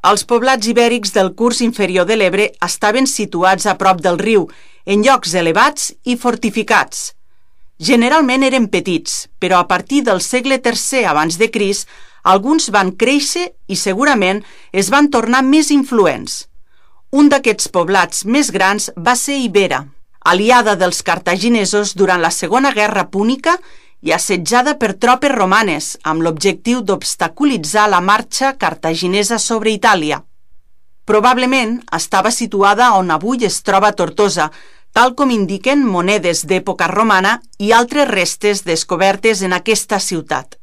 Els poblats ibèrics del curs inferior de l'Ebre estaven situats a prop del riu, en llocs elevats i fortificats. Generalment eren petits, però a partir del segle III abans de Crist, alguns van créixer i segurament es van tornar més influents. Un d'aquests poblats més grans va ser Ibera, aliada dels cartaginesos durant la Segona Guerra Púnica i assetjada per tropes romanes amb l'objectiu d'obstaculitzar la marxa cartaginesa sobre Itàlia. Probablement estava situada on avui es troba Tortosa, tal com indiquen monedes d'època romana i altres restes descobertes en aquesta ciutat.